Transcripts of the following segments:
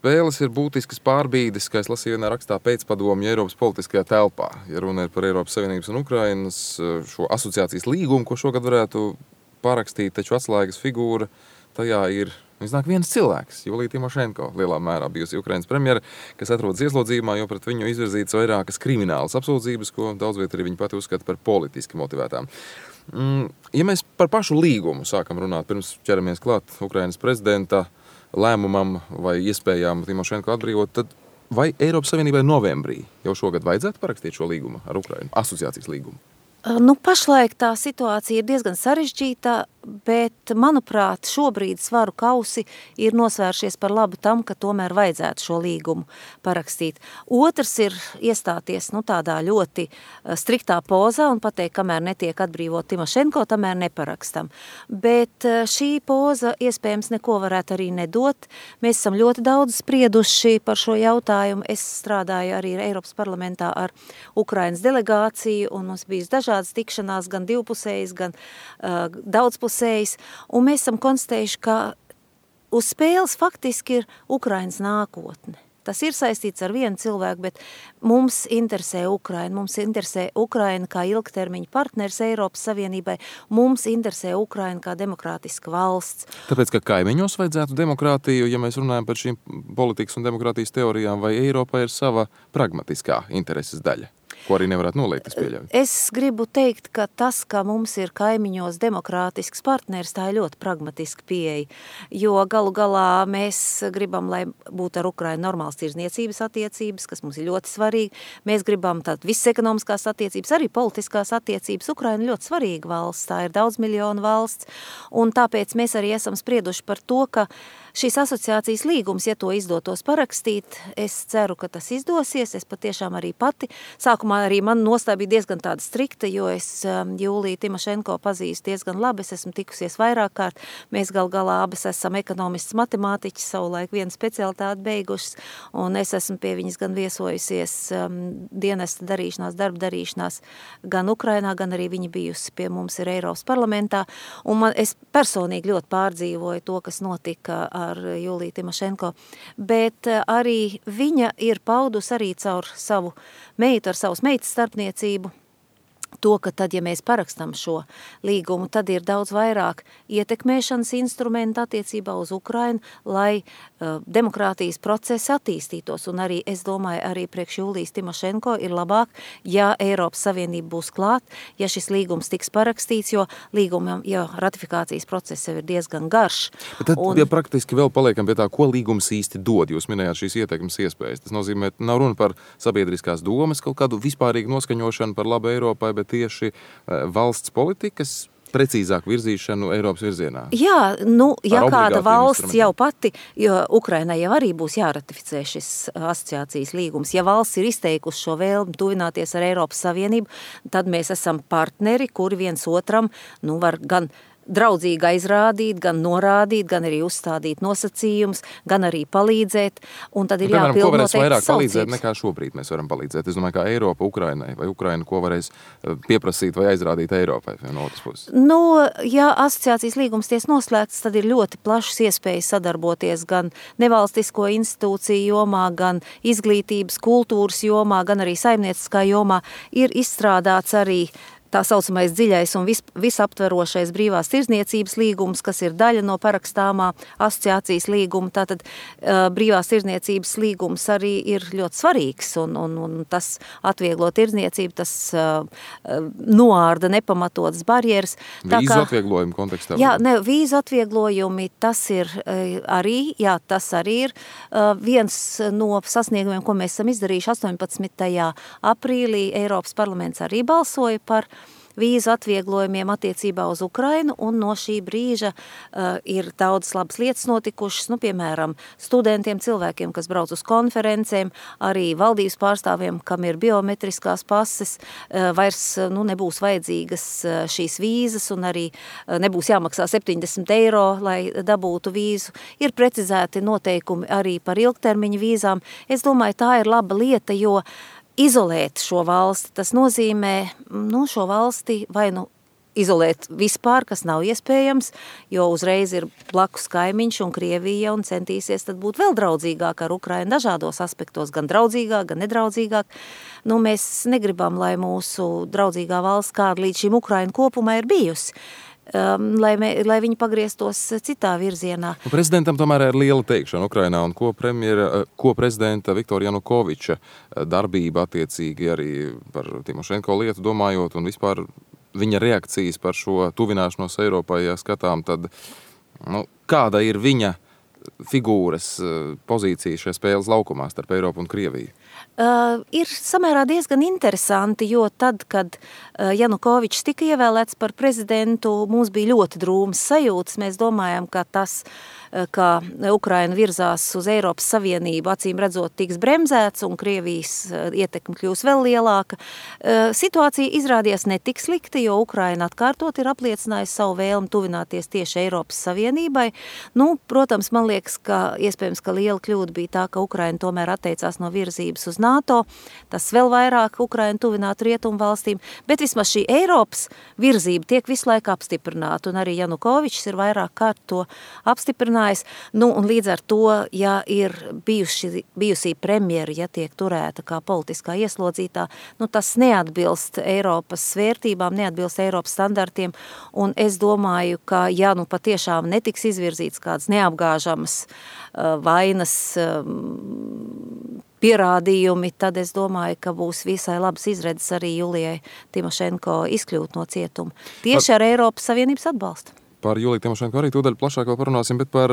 spēles ir būtiskas pārbīdes, kā es lasīju vienā rakstā pēcpadomju Eiropas politiskajā telpā. Ja runa ir par Eiropas Savienības un Ukrainas šo asociācijas līgumu, ko šogad varētu parakstīt, taču atslēgas figūra tajā ir iznāk viens cilvēks, Julija Timošenko, lielā mērā bijusi Ukrainas premjera, kas atrodas ieslodzījumā, jo pret viņu izvirzītas vairākas kriminālas apsūdzības, ko daudzviet arī viņa pati uzskata par politiski motivētām. Ja mēs par pašu līgumu sākam runāt, pirms ķeramies klāt Ukrainas prezidenta lēmumam vai iespējām Timošenko atbrīvot, tad vai Eiropas Savienībai novembrī jau šogad vajadzētu parakstīt šo līgumu ar Ukrainu, asociācijas līgumu? Pašlaik tā situācija ir diezgan sarežģīta, bet, manuprāt, šobrīd svaru kausi ir nosvēršies par labu tam, ka tomēr vajadzētu šo līgumu parakstīt. Otrs ir iestāties tādā ļoti striktā pozā un pateikt, kamēr netiek atbrīvot Timošenko, tamēr neparakstam. Bet šī poza iespējams neko varētu arī nedot. Mēs esam ļoti daudz sprieduši par šo jautājumu. Es strādāju arī Eiropas parlamentā ar Ukrainas delegāciju un mums bijis dažādas tikšanās, gan divpusējas, gan daudzpusējas. Un mēs esam konstatējuši, ka uz spēles faktiski ir Ukrainas nākotne. Tas ir saistīts ar vienu cilvēku, bet mums interesē Ukraina. Mums interesē Ukraina kā ilgtermiņa partners Eiropas Savienībai. Mums interesē Ukraina kā demokrātiska valsts. Tāpēc, ka kaimiņos vajadzētu demokrātiju, ja mēs runājam par šīm politikas un demokrātijas teorijām, vai Eiropa ir sava pragmatiskā intereses daļa? Ko arī nevarētu noliegt, es pieļauju. Es gribu teikt, ka tas, ka mums ir kaimiņos demokrātisks partners, tā ir ļoti pragmatiska pieeja, jo galu galā mēs gribam, lai būtu ar Ukrainu normāls tirdzniecības attiecības, kas mums ir ļoti svarīgi. Mēs gribam tātad visas ekonomiskās attiecības, arī politiskās attiecības. Ukraina ir ļoti svarīga valsts, tā ir daudz miljonu valsts, un tāpēc mēs arī esam sprieduši par to, ka šīs asociācijas līgums, ja to izdotos parakstīt, es ceru, ka tas izdosies. Es patiešām arī pati. Sākumā arī man nostāja bija diezgan tāda strikta, jo es Juliju Timošenko pazīstu diezgan labi. Es esmu tikusies vairāk kārt. Mēs galā abas esam ekonomists matemātiķis, savulaik vienu specialitāti beigušas, un es esmu pie viņas gan viesojusies dienesta darīšanās, darba darīšanās gan Ukrainā, gan arī viņa bijusi pie mums ir Eiropas parlamentā. Un es personīgi ļoti pārdzīvoju to, kas notika ar Juliju Timošenko, bet arī viņa ir paudus arī caur savu meitu, ar savas meitas starpniecību, to, ka tad, ja mēs parakstam šo līgumu, tad ir daudz vairāk ietekmēšanas instrumentu attiecībā uz Ukrainu, lai demokrātijas procesi attīstītos. Un arī, es domāju, arī priekš Julijas Timošenko ir labāk, ja Eiropas Savienība būs klāt, ja šis līgums tiks parakstīts, jo līgumam, ratifikācijas process jau ir diezgan garš. Bet tad, ja praktiski vēl paliekam pie tā, ko līgums īsti dod, jūs minējāt šīs ietekmes iespējas. Tas nozīmē, nav runa par sabiedriskās domas, kaut kādu vispārīgu noskaņošanu par labu Eiropai, bet tieši valsts politikas precīzāk virzīšanu Eiropas virzienā. Jā, ja kāda valsts jau pati, jo Ukrainai jau arī būs jāratificē šis asociācijas līgums, ja valsts ir izteikusi šo vēlmi tuvināties ar Eiropas Savienību, tad mēs esam partneri, kuri viens otram, var gan draudzīgi aizrādīt, gan norādīt, gan arī uzstādīt nosacījumus, gan arī palīdzēt, un tad ir jāpild noteikti ko varēs vairāk saucības. Palīdzēt nekā šobrīd mēs varam palīdzēt? Es domāju, kā Eiropa Ukrainai, vai Ukraina, ko varēs pieprasīt vai aizrādīt Eiropai no otras puses? Ja asociācijas līgums ties noslēgts, tad ir ļoti plašas iespējas sadarboties gan nevalstisko institūciju jomā, gan izglītības, kultūras jomā, gan arī saimnieciskā jomā. Ir izstrādāts arī tā saucamais dziļais un visaptverošais brīvās tirdzniecības līgums, kas ir daļa no parakstāmā asociācijas līguma. Tātad brīvās tirdzniecības līgums arī ir ļoti svarīgs un tas atvieglo tirdzniecību, tas noārda nepamatotas barjeras. Vīzu atvieglojumi kontekstā? Jā, vīzu atvieglojumi, tas arī ir viens no sasniegumiem, ko mēs esam izdarījuši 18. aprīlī. Eiropas parlaments arī balsoja par vīzu atvieglojumiem attiecībā uz Ukrainu, un no šī brīža ir daudz labas lietas notikušas, piemēram, studentiem, cilvēkiem, kas brauc uz konferencēm, arī valdības pārstāvjiem, kam ir biometriskās pases, vairs nebūs vajadzīgas šīs vīzas, un arī nebūs jāmaksā 70 eiro, lai dabūtu vīzu. Ir precizēti noteikumi arī par ilgtermiņa vīzām. Es domāju, tā ir laba lieta, jo izolēt šo valsti, tas nozīmē šo valsti vai izolēt vispār, kas nav iespējams, jo uzreiz ir blakus kaimiņš un Krievija un centīsies tad būt vēl draudzīgāk ar Ukrainu dažādos aspektos, gan draudzīgāk, gan nedraudzīgāk. Nu, mēs negribam, lai mūsu draudzīgā valsts, kāda līdz šim Ukraina kopumā ir bijusi, lai viņi pagrieztos citā virzienā. Prezidentam tomēr ir liela teikšana Ukrainā, un ko prezidenta Viktora Janukoviča darbība attiecīgi arī par Timošenko lietu domājot, un vispār viņa reakcijas par šo tuvināšanos Eiropai, ja skatām, tad kāda ir viņa figūras pozīcija šajā spēles laukumā starp Eiropu un Krieviju? Ir samērā diezgan interesanti, jo tad, kad Janukovičs tika ievēlēts par prezidentu, mums bija ļoti drūmas sajūtas. Mēs domājam, ka tas, ka Ukraina virzās uz Eiropas Savienību, acīm redzot, tiks bremzēts un Krievijas ietekme kļūs vēl lielāka. Situācija izrādījās netik slikti, jo Ukraina atkārtot ir apliecinājusi savu vēlmi tuvināties tieši Eiropas Savienībai. Protams, man liekas, ka iespējams, ka liela kļūda bija tā, ka Ukraina tomēr atteicās no virzības uz NATO. Tas vēl vairāk Ukraina tuvinātu rietumu valstīm, bet vismaz šī Eiropas virzība tiek visu laiku apstiprināta, un arī Janukovičs ir vairāk kārt to apstiprinājis. Un līdz ar to, ja ir bijusī premjera, ja tiek turēta kā politiskā ieslodzītā, tas neatbilst Eiropas vērtībām, neatbilst Eiropas standartiem, un es domāju, ka ja patiešām netiks izvirzīts kāds neapgāžamas vainas pierādījumi, tad es domāju, ka būs visai labas izredzes arī Julijai Timošenko izkļūt no cietuma. Tieši ar Eiropas Savienības atbalstu. Par Juliju Timošenko arī tūdaļ plašāk vēl parunāsim, bet par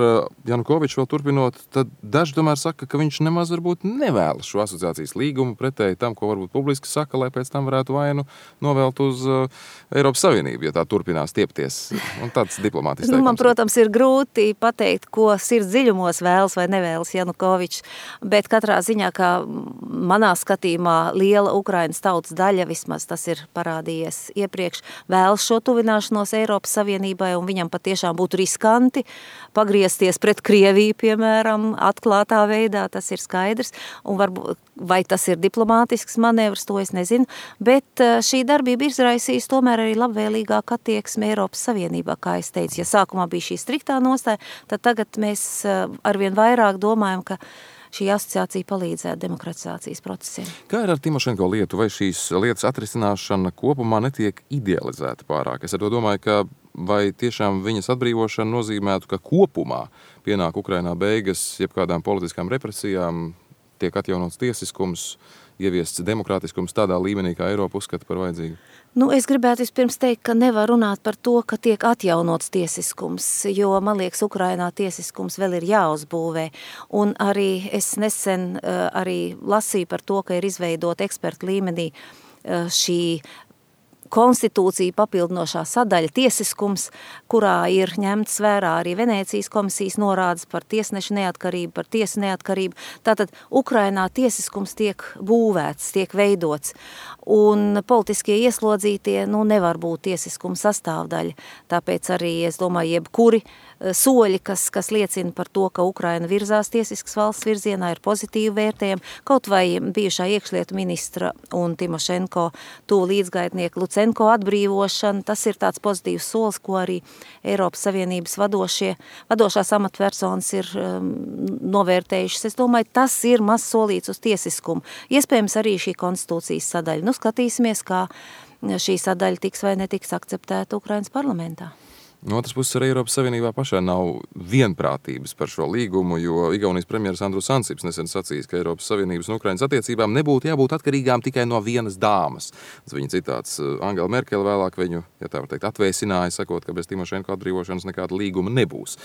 Janukoviču vēl turpinot, tad daži tomēr saka, ka viņš nemaz varbūt nevēlas šo asociācijas līgumu pretēji tam, ko varbūt publiski saka, lai pēc tam varētu vainu novelt uz Eiropas Savienību, ja tā turpinās tiepties. Un tāds diplomātisks teikums. Man, protams, ir grūti pateikt, ko sirds dziļumos vēlas vai nevēlas Janukovičs, bet katrā ziņā, kā manā skatījumā liela Ukrainas tautas daļa, vismaz tas ir parādījies iepriekš, vēlas šo tuvināšanos Eiropas Savienībai, un viņam patiešām būtu riskanti pagriezties pret Krieviju, piemēram, atklātā veidā, tas ir skaidrs, un varbūt, vai tas ir diplomātisks manevrs, to es nezinu, bet šī darbība izraisīs tomēr arī labvēlīgāku attieksmi Eiropas Savienībā, kā es teicu. Ja sākumā bija šī striktā nostāja, tad tagad mēs arvien vairāk domājam, ka šī asociācija palīdzētu demokratizācijas procesiem. Kā ir ar Timošenko lietu? Vai šīs lietas atrisināšana kopumā netiek idealizēta pārāk? Es ar to domāju, ka vai tiešām viņas atbrīvošana nozīmētu, ka kopumā pienāk Ukrainā beigas jebkādām politiskām represijām, tiek atjaunots tiesiskums, ieviests demokrātiskums tādā līmenī, kā Eiropa uzskata par vajadzīgu? Es gribētu vispirms teikt, ka nevar runāt par to, ka tiek atjaunots tiesiskums, jo, man liekas, Ukrainā tiesiskums vēl ir jāuzbūvē. Un arī es nesen arī lasīju par to, ka ir izveidot ekspertu līmenī šī konstitūcija papildinošā sadaļa tiesiskums, kurā ir ņemts vērā arī Venēcijas komisijas norādes par tiesnešu neatkarību, par tiesu neatkarību. Tātad Ukrainā tiesiskums tiek būvēts, tiek veidots, un politiskie ieslodzītie nevar būt tiesiskuma sastāvdaļa. Tāpēc arī, es domāju, jebkuri soļi, kas liecina par to, ka Ukraina virzās tiesiskas valsts virzienā, ir pozitīvi vērtējumi, kaut vai bijušā iekšlietu ministra un Timošenko tuvu līdzgaitnieku Lucenko atbrīvošana, tas ir tāds pozitīvs solis, ko arī Eiropas Savienības vadošās amatpersonas ir novērtējušas. Es domāju, tas ir mazs solīts uz tiesiskumu. Iespējams arī šī konstitūcijas sadaļa. Skatīsimies, kā šī sadaļa tiks vai netiks akceptēta Ukrainas parlamentā. No otras puses, arī Eiropas Savienībā pašā nav vienprātības par šo līgumu, jo Igaunijas premjeras Andrus Ansips nesen sacījis, ka Eiropas Savienības un Ukrainas attiecībām nebūtu jābūt atkarīgām tikai no vienas dāmas. Tas viņa citāts. Angela Merkele vēlāk viņu, ja tā var teikt, atvēsināja, sakot, ka bez Timošenko atbrīvošanas nekāda līguma nebūs.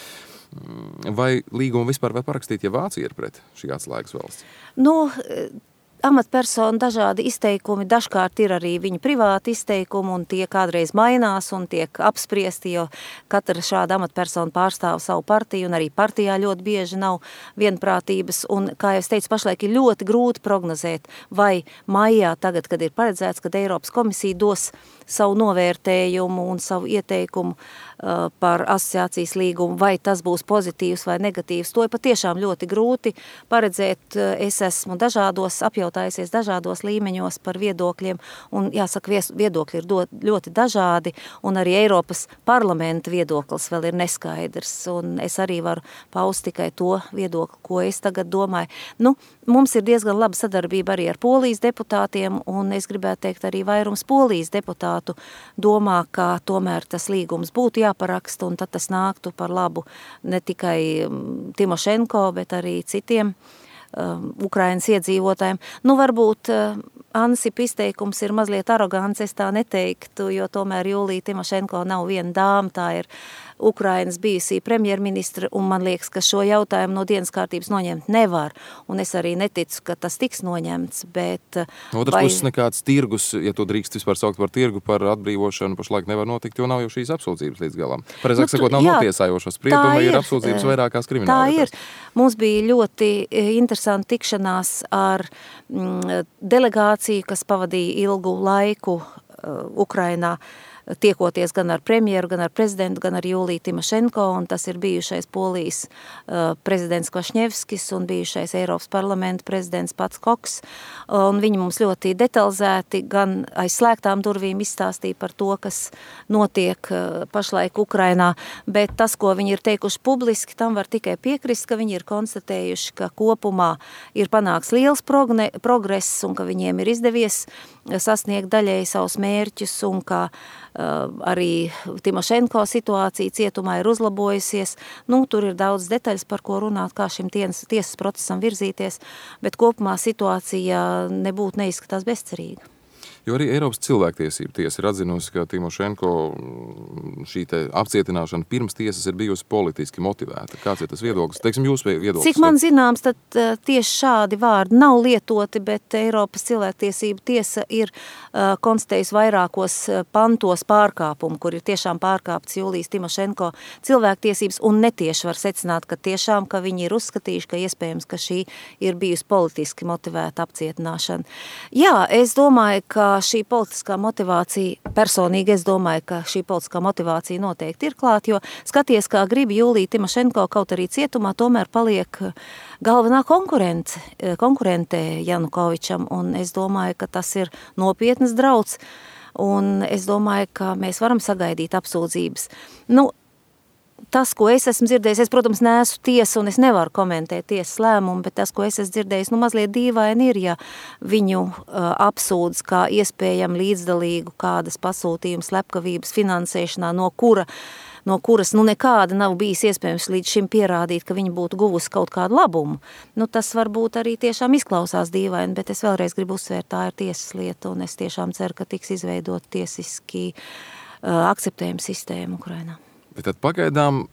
Vai līgumu vispār var parakstīt, ja Vācija ir pret šī atslēgas valsts? Amatpersonu dažādi izteikumi, dažkārt ir arī viņa privāti izteikumi, un tie kādreiz mainās un tiek apspriesti, jo katra šāda amatpersona pārstāv savu partiju, un arī partijā ļoti bieži nav vienprātības, un, kā jau es teicu, pašlaik ir ļoti grūti prognozēt, vai maijā tagad, kad ir paredzēts, kad Eiropas komisija dos savu novērtējumu un savu ieteikumu par asociācijas līgumu, vai tas būs pozitīvs vai negatīvs. To ir patiešām ļoti grūti paredzēt. Es esmu apjautājusies dažādos līmeņos par viedokļiem, un jāsaka, viedokļi ir ļoti dažādi, un arī Eiropas parlamenta viedoklis vēl ir neskaidrs, un es arī varu paust tikai to viedokli, ko es tagad domāju. Mums ir diezgan laba sadarbība arī ar Polijas deputātiem, un es gribētu teikt, arī vairums Polijas deputātu domā, ka tomēr tas līgums būtu jāparaksta, un tad tas nāktu par labu ne tikai Timošenko, bet arī citiem Ukrainas iedzīvotājiem. Varbūt Ansip izteikums ir mazliet arogants, es tā neteiktu, jo tomēr Jūlija Timošenko nav viena dāma, tā ir Ukrainas bijusī premjerministra, un man liekas, ka šo jautājumu no dienas kārtības noņemt nevar, un es arī neticu, ka tas tiks noņemts, bet... Otras puses nekāds tirgus, ja to drīkst vispār saukt par tirgu, par atbrīvošanu, pašlaik nevar notikt, jo nav jau šīs apsūdzības līdz galam. Pareizāk sakot, nav notiesājošas sprieduma, ir apsūdzības vairākās krimināllietās. Tā ir. Mums bija ļoti interesanti tikšanās ar delegāciju, kas pavadīja ilgu laiku Ukrainā, tiekoties gan ar premjeru, gan ar prezidentu, gan ar Jūliju Timošenko, un tas ir bijušais Polijas prezidents Kvašņevskis un bijušais Eiropas parlamenta prezidents Pats Koks, un viņi mums ļoti detalizēti gan aiz slēgtām durvīm izstāstīja par to, kas notiek pašlaik Ukrainā, bet tas, ko viņi ir teikuši publiski, tam var tikai piekrist, ka viņi ir konstatējuši, ka kopumā ir panāks liels progress un ka viņiem ir izdevies sasniegt daļēji savus mērķus un ka arī Timošenko situācija cietumā ir uzlabojusies. Tur ir daudz detaļas, par ko runāt, kā šim tiesas procesam virzīties, bet kopumā situācija nebūtu neizskatās bezcerīga. Jo arī Eiropas cilvēktiesība tiesa ir atzinusi, ka Timošenko šī te apcietināšana pirms tiesas ir bijusi politiski motivēta. Kāds ir tas viedoklis? Teiksim, jūs viedoklis? Cik man zināms, tad tieši šādi vārdi nav lietoti, bet Eiropas cilvēktiesība tiesa ir konstatējusi vairākos pantos pārkāpumu, kur ir tiešām pārkāpts Jūlijas Timošenko cilvēktiesības, un netieši var secināt, ka tiešām, ka viņi ir uzskatījuši, ka iespējams, ka šī ir bijusi politiski motivēta apcietināšana. Jā, es domāju, ka šī politiskā motivācija, personīgi es domāju, ka šī politiskā motivācija noteikti ir klāt, jo skaties, kā grib Jūlija Timošenko, kaut arī cietumā, tomēr paliek galvenā konkurente Janukovičam, un es domāju, ka tas ir nopietnas drauds, un es domāju, ka mēs varam sagaidīt apsūdzības. Tas, ko es esmu dzirdējis, es, protams, neesmu tiesa un es nevaru komentēt tiesas lēmumu, bet tas, ko es esmu dzirdējis, mazliet dīvaini ir, ja viņu apsūdz kā iespējami līdzdalīgu kādas pasūtījuma slepkavības finansēšanā, no kuras nekāda nav bijis iespējams līdz šim pierādīt, ka viņa būtu guvusi kaut kādu labumu. Tas varbūt arī tiešām izklausās dīvaini, bet es vēlreiz gribu uzsvērt, tā ir tiesas lieta, un es tiešām ceru, ka tiks izveidot tiesiski akceptējuma sistēma Ukrainā. Bet tad pagaidām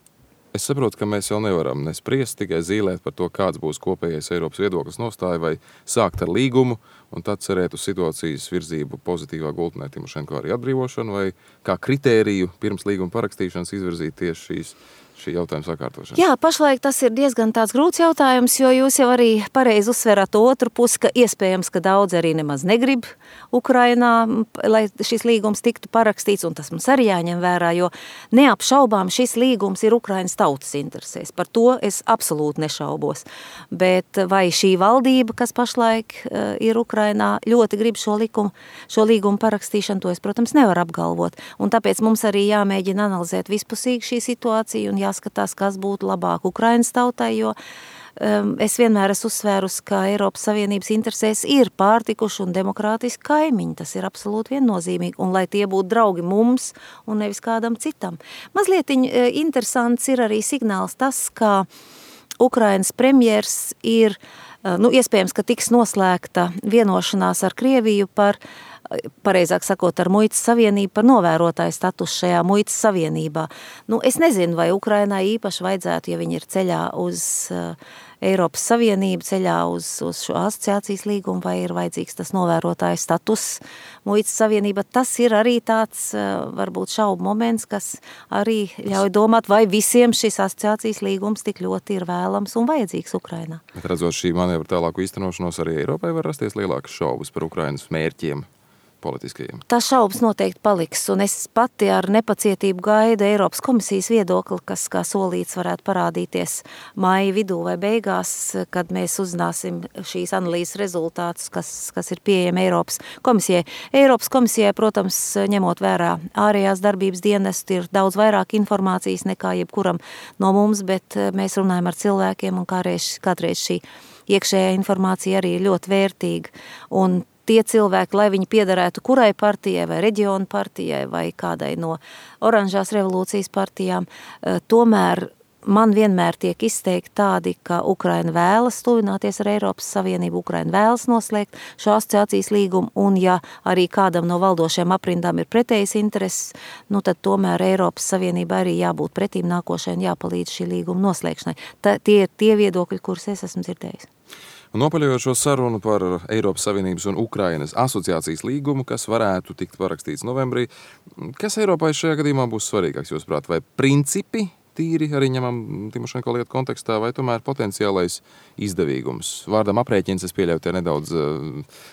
es saprotu, ka mēs jau nevaram nespriest, tikai zīlēt par to, kāds būs kopējais Eiropas viedoklis nostāja, vai sākt ar līgumu un tad cerēt uz situācijas virzību pozitīvā gultnē Timošenko arī atbrīvošanu, vai kā kritēriju pirms līguma parakstīšanas izvirzīt tieši šī jautājuma sakārtošana? Jā, pašlaik tas ir diezgan tāds grūts jautājums, jo jūs jau arī pareizi uzsverat otru pusi, ka iespējams, ka daudz arī nemaz negrib Ukrainā, lai šis līgums tiktu parakstīts, un tas mums arī jāņem vērā, jo neapšaubām šis līgums ir Ukrainas tautas interesēs. Par to es absolūti nešaubos. Bet vai šī valdība, kas pašlaik ir Ukrainā, ļoti grib šo līgumu parakstīšanu, to es, protams, nevaru apgalvot. Un tāpēc mums arī jāmēģina analizēt vispusīgi šī situācija un jāskatās, kas būtu labāk Ukrainas tautai, jo es vienmēr esmu uzsvērusi, ka Eiropas Savienības interesēs ir pārtikuši un demokrātiski kaimiņi. Tas ir absolūti viennozīmīgi, un lai tie būtu draugi mums un nevis kādam citam. Mazliet interesants ir arī signāls tas, ka Ukrainas premjers ir, iespējams, ka tiks noslēgta vienošanās ar Krieviju par, pareizāk sakot, ar muitas savienību, par novērotāju status šajā muitas savienībā. Es nezinu, vai Ukrainai īpaši vajadzētu, ja viņi ir ceļā uz Eiropas Savienību, ceļā uz šo asociācijas līgumu, vai ir vajadzīgs tas novērotāju status muitas savienība. Tas ir arī tāds, varbūt šaubu moments, kas arī ļauj domāt, vai visiem šis asociācijas līgums tik ļoti ir vēlams un vajadzīgs Ukrainā. Bet redzot šī manevra tālāku īstenošanos, arī Eiropai var rasties lielākas šaubas par Ukrainas mērķiem politiskajiem? Tā šaubas noteikti paliks, un es pati ar nepacietību gaidu Eiropas komisijas viedokli, kas kā solīts varētu parādīties maija vidū vai beigās, kad mēs uzzināsim šīs analīzes rezultātus, kas ir pieejami Eiropas komisijai. Eiropas komisijai, protams, ņemot vērā ārējās darbības dienestu, ir daudz vairāk informācijas nekā jebkuram no mums, bet mēs runājam ar cilvēkiem, un kādreiz šī iekšējā informācija arī ir ļoti vērtīga. Un tie cilvēki, lai viņi piederētu kurai partijai vai reģionu partijai vai kādai no oranžās revolūcijas partijām, tomēr man vienmēr tiek izteikti tādi, ka Ukraina vēlas tuvināties ar Eiropas Savienību, Ukraina vēlas noslēgt šo asociācijas līgumu, un ja arī kādam no valdošiem aprindām ir pretējas intereses, tad tomēr Eiropas Savienība arī jābūt pretīm nākošai un jāpalīdz šī līguma noslēgšanai. Tie ir tie viedokļi, kurus es esmu dzirdējis. Nopaļojot šo sarunu par Eiropas Savienības un Ukrainas asociācijas līgumu, kas varētu tikt parakstīts novembrī, kas Eiropai šajā gadījumā būs svarīgāks, jūsuprāt, vai principi tīri arī ņemam Timošenko lietu kontekstā, vai tomēr potenciālais izdevīgums? Vārdam aprēķins, es pieļauju, te nedaudz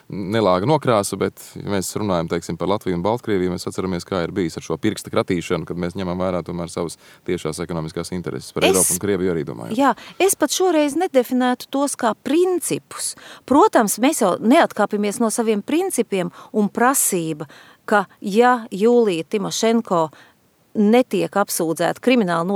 nelāga nokrāsa, bet ja mēs runājam, teiksim, par Latviju un Baltkrieviju, mēs atceramies, kā ir bijis ar šo pirksta kratīšanu, kad mēs ņemam vērā tomēr savas tiešās ekonomiskās intereses. Par Eiropu un Krieviju arī domājam. Jā, es pat šoreiz nedefinētu tos kā principus. Protams, mēs jau neatkāpjamies no saviem principiem un prasība, ka ja Jūlija Timošenko netiek apsūdzēti krimināli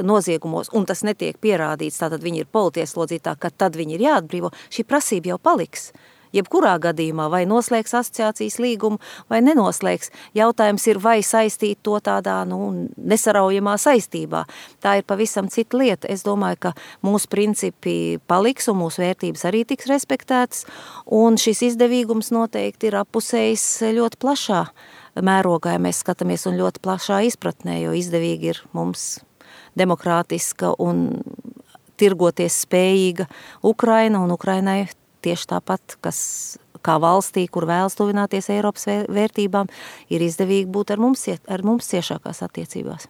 noziegumos, un tas netiek pierādīts, tātad viņi ir politieslodzītā, ka tad viņi ir jāatbrīvo, šī prasība jau paliks. Jebkurā gadījumā vai noslēgs asociācijas līgumu, vai nenoslēgs. Jautājums ir, vai saistīt to tādā nesaraujamā saistībā. Tā ir pavisam cita lieta. Es domāju, ka mūsu principi paliks un mūsu vērtības arī tiks respektētas, un šis izdevīgums noteikti ir appusējis ļoti plašā mērogā, ja mēs skatāmies un ļoti plašā izpratnē, jo izdevīgi ir mums demokrātiska un tirgoties spējīga Ukraina, un Ukrainai tieši tāpat, kas kā valstī, kur vēlas tuvināties Eiropas vērtībām, ir izdevīgi būt ar mums ciešākās attiecībās.